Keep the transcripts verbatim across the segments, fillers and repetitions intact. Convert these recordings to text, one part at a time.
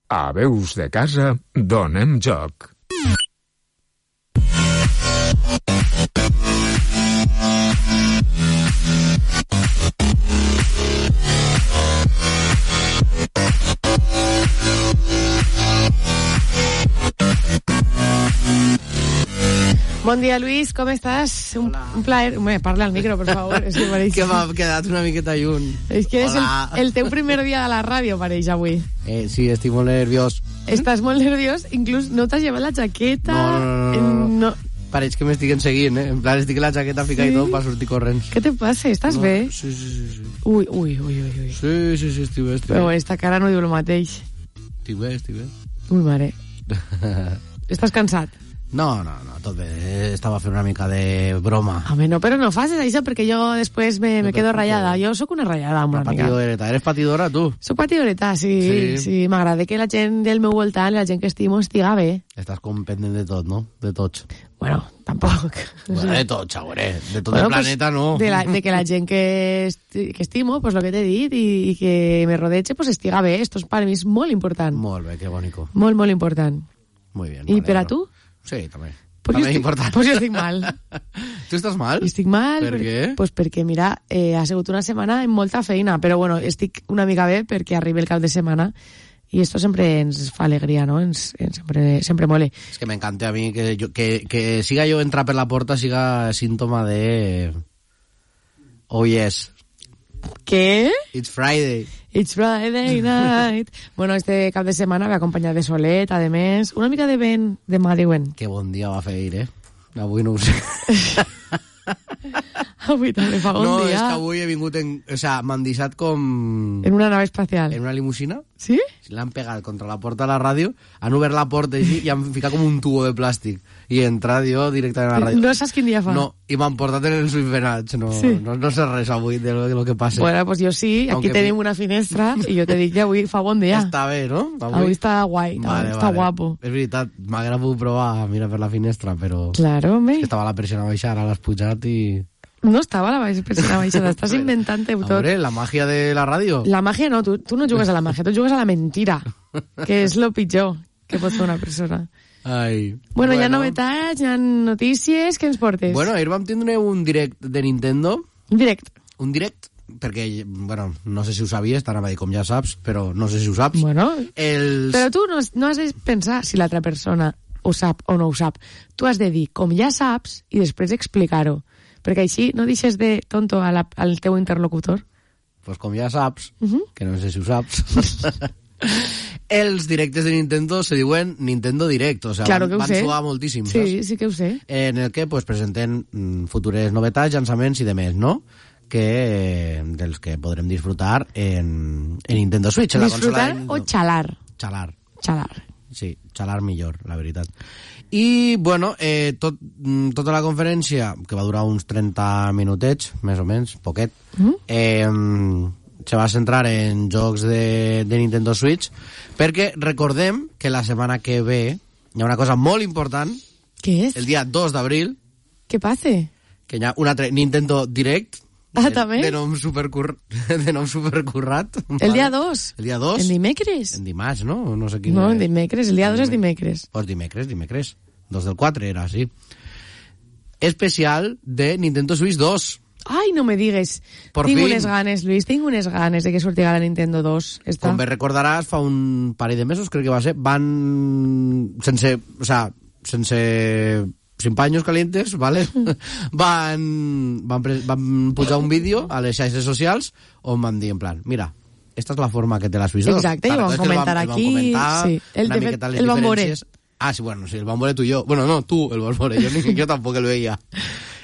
A Veus de Casa donem joc. Bon dia, Luis, com estàs? Un, un plaer. Home, parla al micro, per favor. És que, pareix... que m'ha quedat una miqueta lluny. És que és el, el teu primer dia a la ràdio, pareix, avui. Eh, sí, estic molt nerviós. Estàs molt nerviós, inclús no t'has llevat la jaqueta. No, no, no. no. no. Pareix que m'estiguen seguint, eh? En plan, estic la jaqueta fica sí? I tot per sortir corrents. Què te passa? Estàs no, bé? Sí, sí, sí, sí. Ui, ui, ui, ui. Sí, sí, sí, estic bé, estic Però bé. esta cara no diu el mateix. Estic bé, estic bé. Ui, mare. Estàs cansat? No, no, no, tot bé. Estava fent una mica de broma. Home, no, però no facis això perquè jo després me, me quedo ratllada. Jo sóc una ratllada amb una, una mica. Patidoreta. Eres patidora, tu? Soc patidoreta, sí. Sí, sí m'agrada que la gent del meu voltant, la gent que estimo, estiga bé. Estàs com pendent de tot, no? De tots. Bueno, tampoc. Bueno, de tot, xauré. De tot bueno, el planeta, pues, no. De, la, de que la gent que, esti, que estimo, pues lo que t'he dit, i, i que me rodeche, pues estiga bé. Esto és per mi és molt important. Molt bé, que bonico. Molt, molt important. Muy bien. I per a tu? Sí, també. Pues també estic, important. Pues jo estic mal. Tu estàs mal? Estic mal. Per perquè, què? Pues perquè, mira, eh, ha sigut una setmana amb molta feina, però bueno, estic una mica bé perquè arriba el cap de setmana i esto sempre ens fa alegria, no? Ens, ens sempre, sempre mole. És que m'encanta a mi que, jo, que, que siga jo entrar per la porta siga símptoma de... Oh, yes. ¿Qué? It's Friday. It's Friday night. Bueno, este cap de setmana ve acompanyat de solet, a més, una mica de vent de mà diuen. Que bon dia va fer ahir, eh? Avui no ho sé. Avui també fa bon no, dia. No, és que avui he vingut en... O sea, m'han deixat com... En una nave espacial. En una limusina. Sí? L'han pegat contra la porta de la ràdio, han obert la porta i, i han ficat com un tubo de plàstic. I he entrat jo directament a la ràdio. No saps quin dia fa? No, i m'han portat en els ulls no, sí. no, no sé res avui de lo, de lo que passa. Bueno, pues jo sí, aquí Aunque tenim una finestra i jo te dic que avui fa bon dia. Està bé, no? Avui, avui està guai, vale, està vale. guapo. És veritat, m'agrada poder provar a mirar per la finestra, però... Claro, home. És que estava la persiana baixada, ara l'has pujat i... No estava la persiana baixada, estàs inventant-te tot. A veure, la màgia de la ràdio. La màgia no, tu, tu no jugues a la màgia, tu jugues a la mentira, que és lo pitjor que pot fer una persona. Ai. Bueno, bueno, hi ha novetats, hi ha notícies, què ens portes? Bueno, ahir vam tindre un direct de Nintendo. Un direct? Un direct, perquè, bueno, no sé si ho sabies, t'anava a dir com ja saps, però no sé si ho saps. Bueno, Els... però tu no, no has de pensar si l'altra persona ho sap o no ho sap. Tu has de dir com ja saps i després explicar-ho. Perquè així no deixes de tonto a la, al teu interlocutor. Pues com ja saps, uh -huh. que no sé si ho saps, els directes de Nintendo se diuen Nintendo Direct, o sea, claro van, van suar moltíssim, sí, saps? Sí, que ho sé. En el que pues, presenten mm, futures novetats, llançaments i demés, no? Que, eh, dels que podrem disfrutar en, en Nintendo Switch. En disfrutar la consola o xalar? Xalar. Xalar. Sí, xalar millor, la veritat. I, bueno, eh, tot, tota la conferència, que va durar uns trenta minutets, més o menys, poquet, mm? eh, se va centrar en jocs de, de Nintendo Switch, perquè recordem que la setmana que ve hi ha una cosa molt important. Què és? El dia dos d'abril. Què passa? Que hi ha un altre Nintendo Direct. Ah, de, també? De nom, supercur... de nom supercurrat. El vale. dia dos? El dia dos. En dimecres? En dimarts, no? No sé quin... No, en dimecres. El dia dos és dimecres. Pues dimecres, dimecres. dos del quatre era, sí. Especial de Nintendo Switch dos. Ai, no me digues. Por tinc fin. unes ganes, Luis, tinc unes ganes de que sortiga la Nintendo dos. Esta. Com bé recordaràs, fa un parell de mesos, crec que va ser, van... Sense... O sea, sense... sin paños calientes, ¿vale? van, van, pre, van pujar un vídeo a les xarxes socials on van dir en plan, mira, esta és la forma que té la Switch dos. Exacte, i ho vam comentar el vam, aquí. El vam comentar, sí. el, una de, miqueta les el vam veure. diferències. Ah, sí, bueno, sí, el vam veure tu i jo. Bueno, no, tu el vas veure, jo, ni, jo tampoc el veia.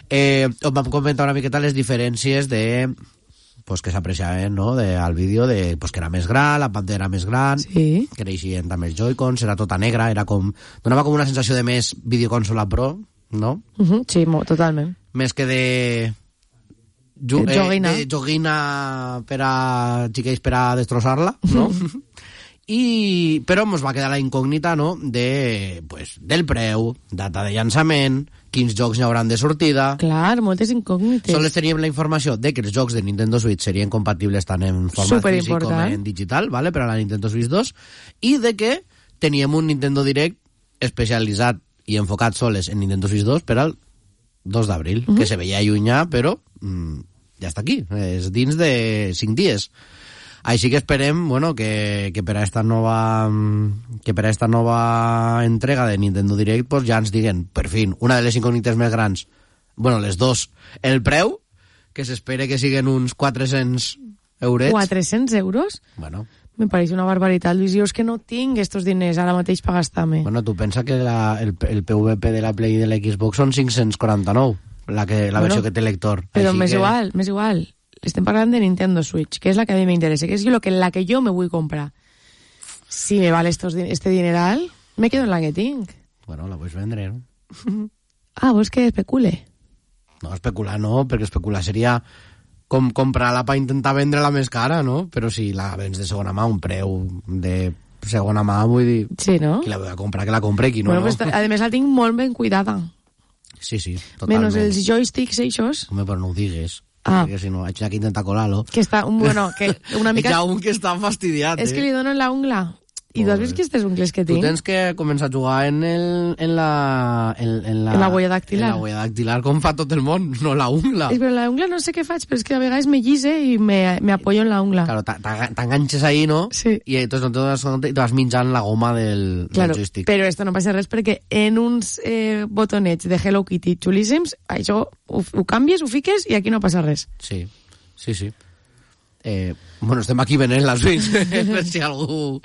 Eh, vam comentar una miqueta les diferències de... pues que s'apreciaven, no?, de, al vídeo de pues que era més gran, la pantalla era més gran, sí. que creixien també els Joy-Cons, era tota negra, era com... donava com una sensació de més videoconsola pro, no? Uh -huh, sí, totalment. Més que de... Ju de joguina. Eh, de joguina per a xiquets per a destrossar-la, no? I... però ens va quedar la incògnita, no?, de, pues, del preu, data de llançament quins jocs n'hi hauran de sortida. Clar, moltes incògnites. Sols teníem la informació de que els jocs de Nintendo Switch serien compatibles tant en format físic com en digital, ¿vale? Per a la Nintendo Switch dos, i de que teníem un Nintendo Direct especialitzat i enfocat soles en Nintendo Switch dos per al dos d'abril, uh-huh. que se veia allunyar, però mmm, ja està aquí, és dins de cinc dies. Així que esperem, bueno, que, que per a esta nova que per a esta nova entrega de Nintendo Direct pues ja ens diguen, per fin, una de les incògnites més grans, bueno, les dos, el preu, que s'espera que siguen uns quatre-cents eurets. quatre-cents euros? Bueno. Me pareix una barbaritat, Lluís. Jo és que no tinc estos diners ara mateix per gastar-me. Bueno, tu pensa que la, el, el P V P de la Play i de la Xbox són cinc-cents quaranta-nou, la, que, la bueno, versió que té lector. Però Així m'és que... igual, m'és igual. Estem parlant de Nintendo Switch, que és la que a mi m'interessa, que és lo que, la que jo me vull comprar. Si me vale estos, este dineral, me quedo en la que tinc. Bueno, la puedes vendre, no? Ah, vols que especule? No, especular no, perquè especular seria com comprar-la per intentar vendre-la més cara, no? Però si la vens de segona mà, un preu de segona mà, vull dir... Sí, no? Qui la vull comprar, que la compre, qui no, bueno, no? Pues, a més, la tinc molt ben cuidada. Sí, sí, totalment. Menos els joysticks, eixos. Home, però no ho digues. Ah. Perquè si no, haig que intentar colar-lo. Que està, bueno, que una mica... Hi ha un que està fastidiat, eh? És que li donen la ungla. I tu has vist aquestes ungles que tinc? Tu tens que començar a jugar en, el, en la... En, en la, en la huella dactilar. En la huella dactilar, com fa tot el món, no la ungla. És, però la ungla no sé què faig, però és que a vegades me guise i me, me apoyo en la ungla. Claro, t'enganxes ahí, no? Sí. I entonces no te dones compte i te vas menjant la goma del, claro, del joystick. Però esto no passa res perquè en uns eh, botonets de Hello Kitty xulíssims, això ho, ho canvies, ho fiques i aquí no passa res. Sí, sí, sí. Eh, bueno, estem aquí venent la Switch per si algú...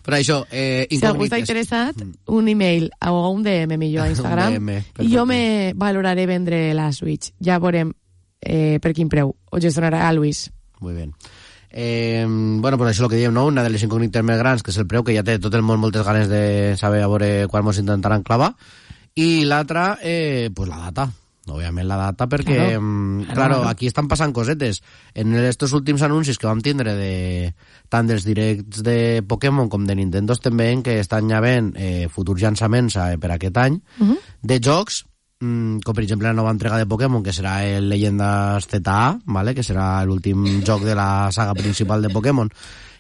Però això, eh, incògnites. Si algú està interessat, un email o un D M millor a Instagram D M, i jo me valoraré vendre la Switch. Ja veurem eh, per quin preu. Ho gestionarà a Luis. Muy bien. Eh, bueno, pues això és el que diem, no? Una de les incògnites més grans, que és el preu, que ja té tot el món moltes ganes de saber a veure quan ens intentaran clavar. I l'altra, eh, pues la data. Obviament la data, perquè claro, claro, claro, aquí estan passant cosetes. En estos últims anuncis que vam tindre de, tant dels directs de Pokémon com de Nintendo estem veient que estan ja veient eh, futurs llançaments eh, per aquest any uh-huh. de jocs, mm, com per exemple la nova entrega de Pokémon, que serà el Leyendas Z A, ¿vale? Que serà l'últim joc de la saga principal de Pokémon,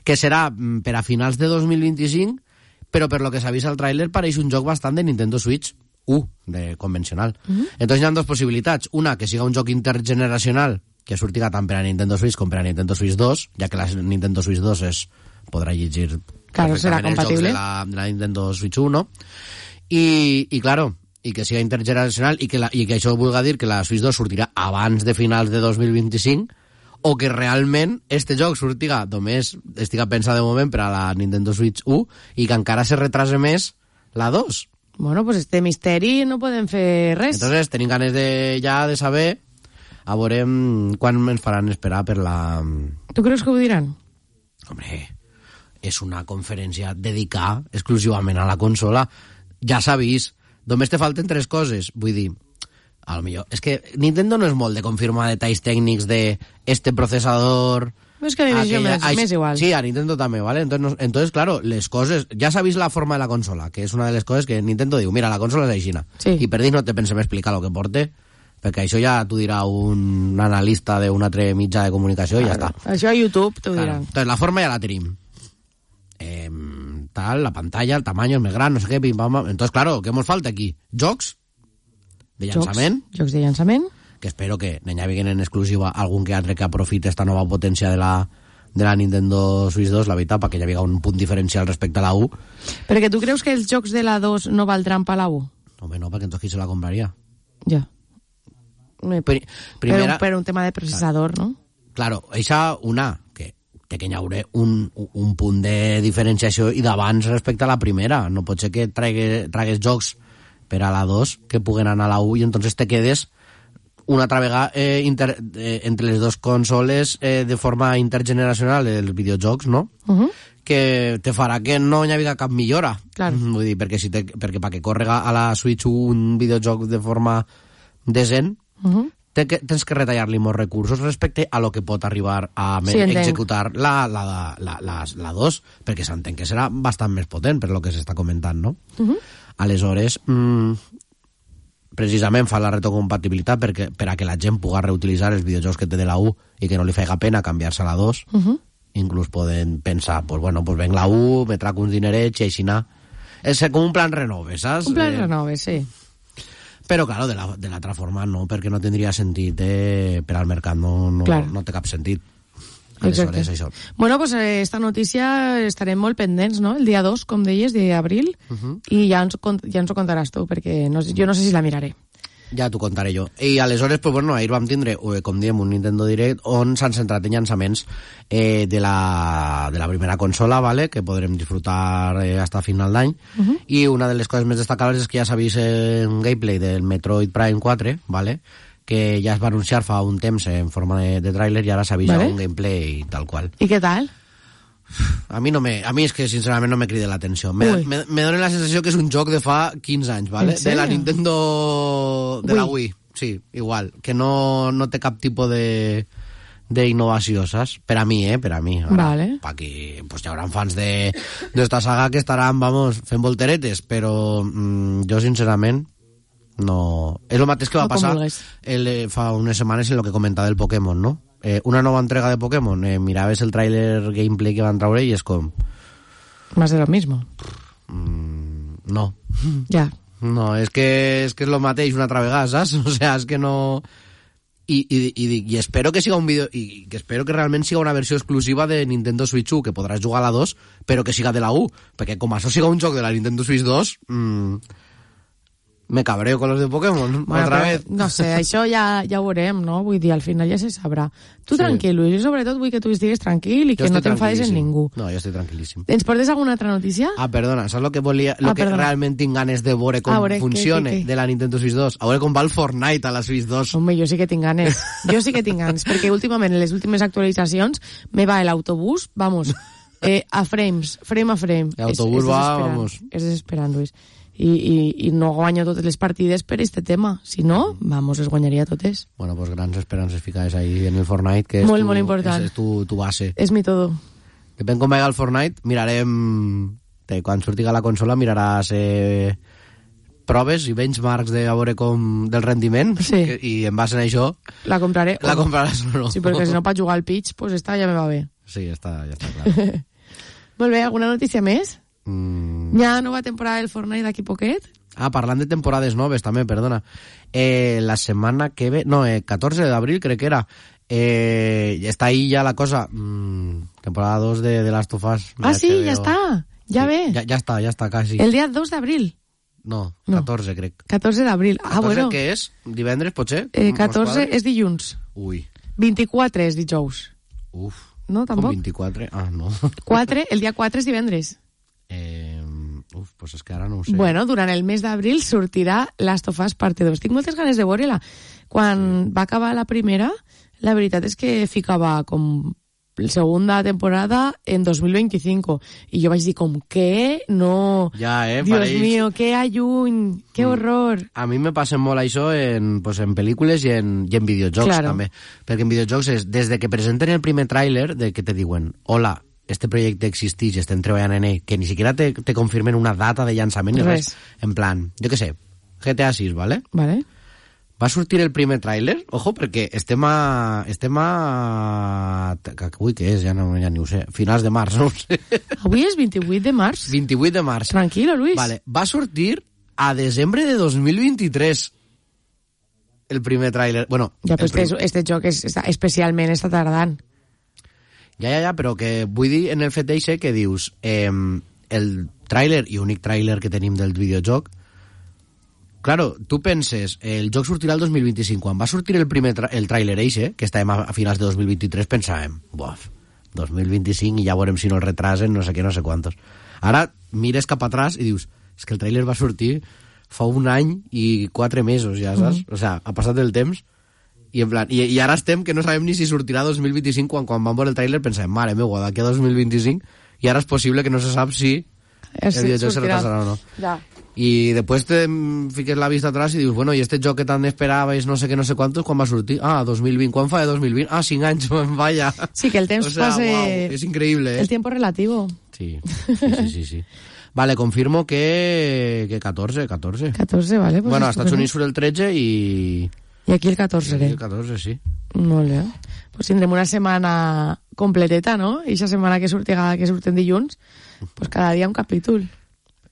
que serà mm, per a finals de dos mil vint-i-cinc, però per lo que s'ha vist al tràiler pareix un joc bastant de Nintendo Switch U, de convencional. Uh-huh. Entonces hi ha dues possibilitats. Una, que siga un joc intergeneracional que surtiga tant per a Nintendo Switch com per a Nintendo Switch dos, ja que la Nintendo Switch dos es podrà llegir claro, serà compatible els jocs de la, de la Nintendo Switch U, no? I, i claro, i que siga intergeneracional i que, la, i que això vulga dir que la Switch dos sortirà abans de finals de dos mil vint-i-cinc, o que realment este joc sortiga només estiga pensat de moment per a la Nintendo Switch U i que encara se retrase més la dos. Bueno, pues este misteri no podem fer res. Entonces, tenim ganes de, ja de saber a veure quan ens faran esperar per la... Tu creus que ho diran? Hombre, és una conferència dedicada exclusivament a la consola. Ja s'ha vist. Només te falten tres coses. Vull dir, a lo millor... És que Nintendo no és molt de confirmar detalls tècnics de este processador... És que a mi aquella, m'és, m'és igual. Sí, a Nintendo també, ¿vale? Entonces, no, entonces, claro, les coses... Ja s'ha vist la forma de la consola, que és una de les coses que Nintendo diu, mira, la consola és aixina. Sí. I per dir no te pensem explicar el que porte, perquè això ja t'ho dirà un analista d'un altre mitjà de comunicació i claro, ja està. Això a YouTube t'ho claro. diran. Entonces, la forma ja la tenim. Eh, tal, la pantalla, el tamaño és més gran, no sé què, pim, pam, pam. Entonces, claro, què ens falta aquí? Jocs de llançament. Jocs, jocs de llançament. Que espero que n'hi hagi en exclusiva algun que altre que aprofite esta nova potència de la de la Nintendo Switch dos, la veritat, perquè hi havia un punt diferencial respecte a la U. Perquè tu creus que els jocs de la dos no valdran per la U? Home, no, perquè entonces qui se la compraria? Ja. Pri primera... Per un, per un tema de processador, claro. ¿No? Claro, eixa una, que té que hi haurà un, un punt de diferenciació i d'abans respecte a la primera. No pot ser que trague, tragues jocs per a la dos que puguen anar a la U i entonces te quedes una altra vegada eh, inter, eh, entre les dues consoles eh, de forma intergeneracional els videojocs, no? Uh-huh. Que te farà que no hi hagi cap millora. Claro. Vull dir, perquè, si te, perquè perquè córrega a la Switch un videojoc de forma decent, uh-huh. te, que, tens que retallar-li molts recursos respecte a lo que pot arribar a sí, executar la, la, la, la, la, la dos, perquè s'entén que serà bastant més potent per lo que s'està comentant, no? Uh-huh. Aleshores... Mm, precisament fa la retrocompatibilitat perquè, per a que la gent pugui reutilitzar els videojocs que té de la U i que no li faiga pena canviar-se a la dos. Uh-huh. Inclús poden pensar, pues bueno, pues venc la U, me trac uns dinerets i així anar. És com un plan renove, saps? Un plan eh, renove, sí. Però, claro, de la, de l'altra forma no, perquè no tindria sentit eh, per al mercat, no, no, claro. no té cap sentit. Exacte. Això. Bueno, pues eh, esta notícia estarem molt pendents, no? El dia dos, com deies, d'abril, uh-huh. i ja ens, ja ens ho contaràs tu, perquè no, jo no sé si la miraré. Ja t'ho contaré jo. I aleshores, pues, bueno, ahir vam tindre, com diem, un Nintendo Direct on s'han centrat en llançaments eh, de, la, de la primera consola, ¿vale? Que podrem disfrutar eh, hasta final d'any. Uh-huh. I una de les coses més destacables és que ja s'ha vist un gameplay del Metroid Prime quatre, ¿vale? Que ja es va anunciar fa un temps en forma de, de tràiler i ara s'ha vist ¿vale? Un gameplay tal qual. I què tal? A mi no me, a mi és que sincerament no me crida l'atenció. Me, me, me dona la sensació que és un joc de fa quinze anys, ¿vale? De la Nintendo... de Wii. La Wii, sí, igual. Que no, no té cap tipus de d'innovació, saps? Per a mi, eh? Per a mi. Ara, vale. Pa aquí, pues hi haurà fans de d'esta saga que estaran, vamos, fent volteretes, però mm, jo sincerament no... És el mateix que va no passar el, fa unes setmanes en el que comentava del Pokémon, no? Eh, una nova entrega de Pokémon, eh, miraves el tràiler gameplay que van traure i és com... Más de lo mismo. Mm, no. Ja. No, és que, és que és lo mateix una altra vegada, saps? O sea, és que no... I, i, i, i espero que siga un vídeo i que espero que realment siga una versió exclusiva de Nintendo Switch u, que podràs jugar a la dos, però que siga de la U, perquè com això siga un joc de la Nintendo Switch dos... Mmm, me cabreo con los de Pokémon, bueno, otra vez. No sé, això ja, ja ho veurem, no? Vull dir, al final ja se sabrà. Tu sí. Tranquil, Luis, jo sobretot vull que tu estigues tranquil i que no t'enfades en ningú. No, jo estic tranquil·líssim. Ens portes alguna altra notícia? Ah, perdona, saps lo que volia, lo ah, que perdona. realment tinc ganes de veure com ah, veure, funcione que, que, que. de la Nintendo Switch dos? A veure com va el Fortnite a la Switch dos. Home, jo sí que tinc ganes. Jo sí que tinc ganes, perquè últimament, en les últimes actualitzacions, me va l'autobús, vamos, eh, a frames, frame a frame. L'autobús va, vamos. És desesperant, Luis. I, i, i no guanyo totes les partides per este tema. Si no, vamos, les guanyaria totes. Bueno, pues grans esperances ficades ahí en el Fortnite, que és, molt, tu, molt important. És, és tu, tu base. És mi todo. Depèn com vagi el Fortnite, mirarem... Té, quan surtiga la consola miraràs eh, proves i benchmarks de a veure com del rendiment, sí. que, i en base a això... La compraré. La compraràs o no. Sí, perquè si no, per jugar al pitch, pues esta ja me va bé. Sí, està, ja està clar. Molt bé, alguna notícia més? Mm. Hi ha nova temporada del Fortnite d'aquí poquet? Ah, parlant de temporades noves també, perdona. Eh, la setmana que ve... No, eh, catorze d'abril crec que era. Eh, està ahí ja la cosa. Mm, temporada dos de, de Last of Us. Ah, sí, ja està. Ja sí, ve. Ja, ja està, ja està, quasi. El dia dos d'abril? No, catorze no. crec. catorze d'abril. Ah, bueno. Què és? Divendres, potser? Eh, catorze és dilluns. Ui. vint-i-quatre és dijous. Uf. No, tampoc? Com vint-i-quatre? Ah, no. quatre, el dia quatre és divendres. Eh, uf, pues és que ara no ho sé. Bueno, durant el mes d'abril sortirà Last of Us parte dos. Tinc moltes ganes de veure-la. Quan sí. va acabar la primera, la veritat és que ficava com la segunda temporada en dos mil vint-i-cinc. I jo vaig dir com, què? No. Ja, eh? Dios pareix... mío, que alluny, que mm. horror. A mi me passa molt això en, pues, en pel·lícules i en, i en videojocs, claro. també. Perquè en videojocs és, des de que presenten el primer tràiler, de que te diuen, hola, este projecte existeix, estem treballant en ell, que ni siquiera te, te confirmen una data de llançament ni res. res. En plan, jo què sé, G T A sis, ¿vale? Vale. Va sortir el primer tràiler, ojo, perquè estem a... estem a... Ui, què és? Ja, no, ja ni ho sé. Finals de març, no ho sé. Avui és vint-i-vuit de març. vint-i-vuit de març. Tranquilo, Luis. Vale, va sortir a desembre de dos mil vint-i-tres el primer tràiler. Bueno, ja, però prim... este, este joc és, està, especialment està tardant. Ja, ja, ja, però que vull dir en el fet d'eixe que dius eh, el tràiler i únic tràiler que tenim del videojoc, claro, tu penses, el joc sortirà el dos mil vint-i-cinc, quan va sortir el primer tra el tràiler eixe, que estàvem a, a finals de dos mil vint-i-tres, pensàvem, buaf, dos mil vint-i-cinc i ja veurem si no el retrasen, no sé què, no sé quantos. Ara mires cap atrás i dius, és que el tràiler va sortir fa un any i quatre mesos, ja saps? Mm. O sea, ha passat el temps. I, en plan, i, i ara estem que no sabem ni si sortirà dos mil vint-i-cinc quan, quan vam veure el tràiler pensem, mare meua, d'aquí a dos mil vint-i-cinc i ara és possible que no se sap si el sí, videojoc se retrasarà o no. Ja. I després te fiques la vista atrás i dius, bueno, i este joc que tant esperaves no sé què, no sé quantos, quan va sortir? Ah, dos mil vint. Quan fa de dos mil vint? Ah, cinc anys, vaya. Sí, que el temps o sea, pase... Wow, és increïble, eh? El tiempo relativo. Sí, sí, sí, sí, sí. Vale, confirmo que, que catorze, catorce. catorze, vale. Pues bueno, a Estats estupendo. Units surt el tretze i... I aquí el catorze. I el catorze, sí. Molt bé. Pues tindrem una setmana completeta, no? I aquesta setmana que, surti, que surten dilluns, pues cada dia un capítol.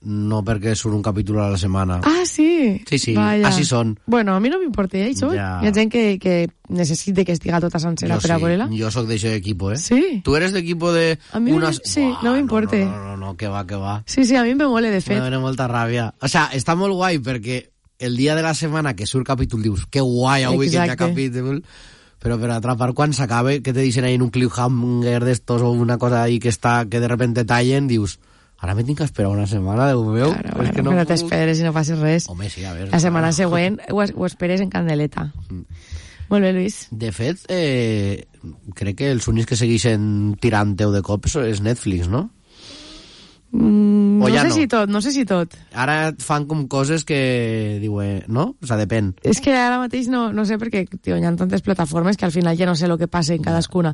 No perquè surt un capítol a la setmana. Ah, sí? Sí, sí, Vaya. així són. Bueno, a mi no m'importa, eh, això. Ja. Hi ha gent que, que necessita que estiga tota sencera Jo per a sí, veure-la. jo sóc d'això d'equipo, eh? Sí? Tu eres d'equipo de... A mi unas... sí, Buah, no m'importa. No, no, no, no, que va, que va. Sí, sí, a mi me mole, de Me fet. dóna molta ràbia. O sea, està molt guai perquè el dia de la setmana que surt capítol dius que guai, avui que hi ha Exacte. capítol, però per altra part quan s'acabe que te dicen ahí en un cliffhanger d'estos o una cosa ahí que està que de repente tallen, dius ara me tinc que esperar una setmana, Déu meu. Claro, és bueno, que no però puc... t'esperes i no facis res. Home, sí, a veure. La setmana clar. següent ho, es- ho esperes en candeleta. Molt bé, Lluís. De fet, eh, crec que els únics que segueixen tirant teu de cops és Netflix, no? Mm, O no ja sé no? si tot, no sé si tot. Ara fan com coses que diuen, no? O sea, depèn. És que ara mateix no, no sé perquè tio, hi ha tantes plataformes que al final ja no sé el que passa en cadascuna.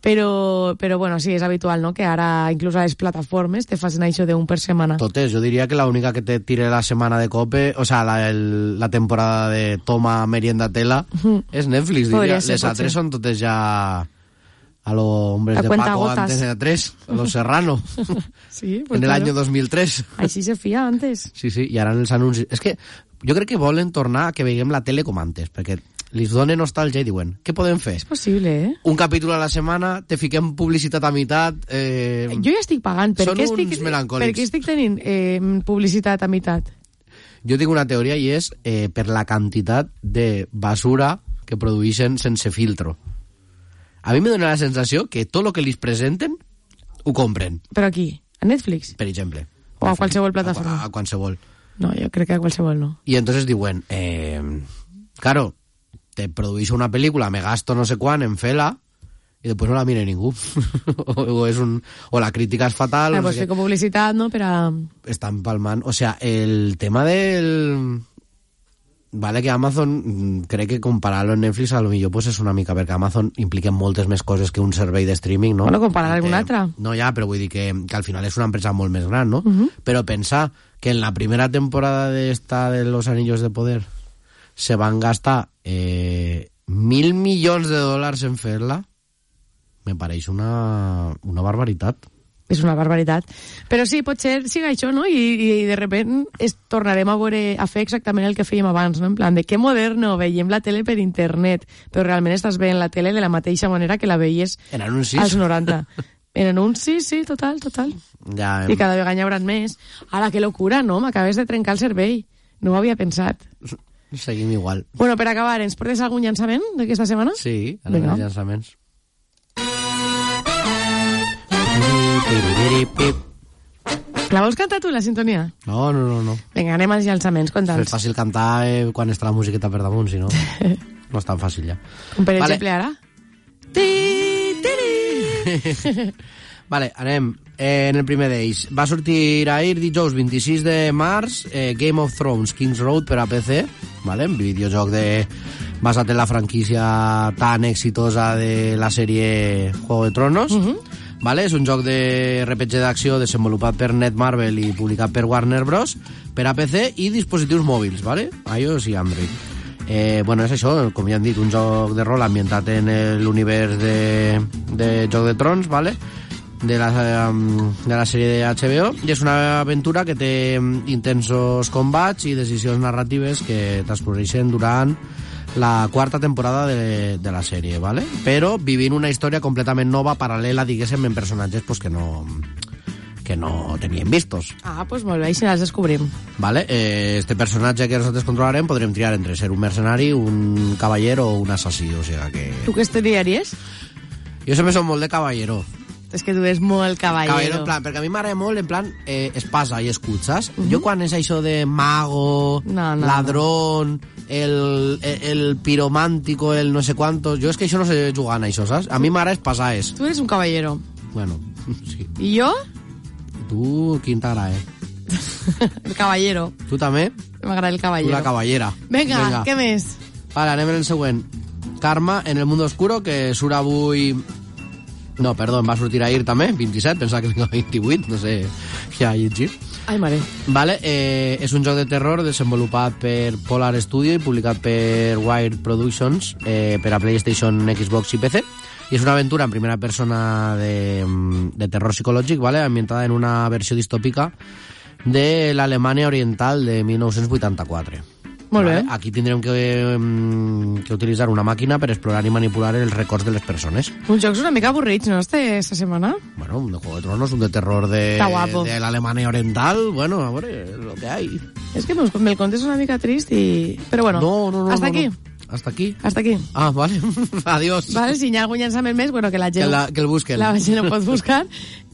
Però, però bueno, sí, és habitual, no?, que ara inclús a les plataformes te facin això d'un per setmana. Totes, jo diria que l'única que te tire la setmana de cope, o sea, la, el, la temporada de toma merienda tela, Ujú. és Netflix, Podria diria. ser, Les pot altres ser. són totes ja a lo hombres A de cuenta Paco gotas. Antena tres, a los Serrano, Sí, pues en el claro. año dos mil tres. Així se feia antes. Sí, sí, i ara en els anuncis... És que jo crec que volen tornar a que veiem la tele com antes, perquè li donen nostàlgia i diuen, què podem fer? És possible, eh? Un capítol a la setmana, te fiquem publicitat a meitat... Eh... Jo ja estic pagant. Per Són què uns estic, melancòlics. per què estic tenint eh, publicitat a meitat? Jo tinc una teoria i és eh, per la quantitat de basura que produeixen sense filtro. A mi me dona la sensació que tot el que li presenten ho compren, Però aquí, a Netflix? per exemple. O a qualsevol plataforma? A, a qualsevol. No, jo crec que a qualsevol no. I entonces diuen, eh, claro, te produeixo una pel·lícula, me gasto no sé quan en fer-la, i després no la mira ningú. o, o, és un, o la crítica és fatal. Ah, o no pues sé què. fico publicitat, no?, per a... Estan palmant. O sea, el tema del... Vale, que Amazon, mm, crec que comparar-lo en Netflix a lo millor pues és una mica, perquè Amazon implica moltes més coses que un servei de streaming, no? Bueno, comparar I alguna que- altra. No, ja, però vull dir que, que al final és una empresa molt més gran, no? Uh -huh. Però pensar que en la primera temporada de esta de Los Anillos de Poder se van gastar eh, mil milions de dòlars en fer-la, me pareix una, una barbaritat. És una barbaritat. Però sí, potser siga això, no? I, i de repent es tornarem a veure, a fer exactament el que fèiem abans, no? En plan, de que moderno, veiem la tele per internet, però realment estàs veient la tele de la mateixa manera que la veies En anuncis. als noranta. En anuncis, sí, total, total. Ja, I cada vegada n'hi haurà més. Ara, que locura, no? M'acabes de trencar el cervell. No ho havia pensat. seguim igual. Bueno, per acabar, ens portes algun llançament d'aquesta setmana? Sí, ara Vinga. els llançaments. La vols cantar tu, la sintonia? No, no, no, no. Vinga, anem als llançaments, És conta'ns. fàcil cantar eh, quan està la musiqueta per damunt, si no, no és tan fàcil ja. Com per Vale. exemple ara. Ti, tiri. Vale, anem. Eh, en el primer d'ells. Va sortir ahir dijous vint-i-sis de març eh, Game of Thrones King's Road per a P C, vale? Un videojoc de... basat en la franquícia tan exitosa de la sèrie Juego de Tronos. Mhm. Vale? És un joc de R P G d'acció desenvolupat per Netmarble i publicat per Warner Bros. Per a P C i dispositius mòbils, vale? iOS i Android. Eh, bueno, és això, com ja han dit, un joc de rol ambientat en l'univers de, de Joc de Trons, vale? de la, um, de la sèrie de H B O, i és una aventura que té intensos combats i decisions narratives que transcorreixen durant la quarta temporada de, de la sèrie, ¿vale? Però vivint una història completament nova, paral·lela, diguéssim, en personatges pues, que no que no teníem vistos. Ah, pues molt bé, així els descobrim. ¿Vale? Eh, este personatge que nosaltres controlarem podrem triar entre ser un mercenari, un cavaller o un assassí, o sigui que... Tu què estudiaries? Jo sempre som molt de cavallero. És que tu eres molt caballero. Caballero, en plan, perquè a mi m'agrada molt, en plan, eh, espasa i escut, saps? Uh Mhm. -huh. Jo quan és això de mago, No, no, ladrón, el, el, el piromàntico, el no sé quantos... Jo és que això no sé jugar en això, saps? A mi m'agrada espasar, és. Tu eres un caballero. Bueno, sí. I jo? Tu, quin t'agrada, eh? El caballero. Tu també? M'agrada el Tu caballero. la cavallera. Vinga, Vinga. què més? Vale, anem en el següent. Karma en el mundo oscuro, que surt avui No, perdó, em va sortir ahir també, vint-i-set, pensava que vinga vint-i-vuit, no sé què ha llegit. Ai, mare. Vale, eh, és un joc de terror desenvolupat per Polar Studio i publicat per Wired Productions eh, per a PlayStation, Xbox i P C. I és una aventura en primera persona de, de terror psicològic, vale, ambientada en una versió distòpica de l'Alemanya Oriental de mil nou-cents vuitanta-quatre. Molt bé. Vale? Aquí tindrem que, que utilitzar una màquina per explorar i manipular els records de les persones. Uns jocs una mica avorrits, no, este, esta setmana? Bueno, un de Juego de Tronos, un de terror de, de l'Alemanya Oriental, bueno, a veure, lo que hay. Es que me, me el contes una mica trist y... Pero bueno, no, no, no, hasta no, aquí. No. Hasta aquí. Hasta aquí. Ah, vale. Adiós. Vale, si hi ha algun llançament més, bueno, que la gent... Que, la, que el busquen. La gent el pot buscar.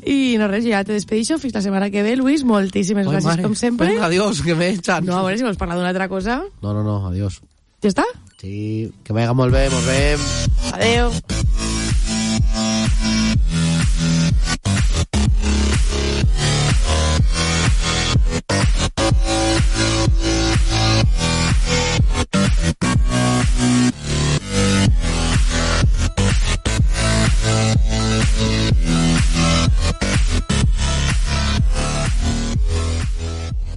I no res, ja te despedixo. Fins la setmana que ve, Luis. Moltíssimes gràcies, mare. com sempre. Venga, adiós, que me echan. No, a veure si vols parlar d'una altra cosa. No, no, no, adiós. Ja està? Sí, que vaya molt bé, molt bé. Adeu.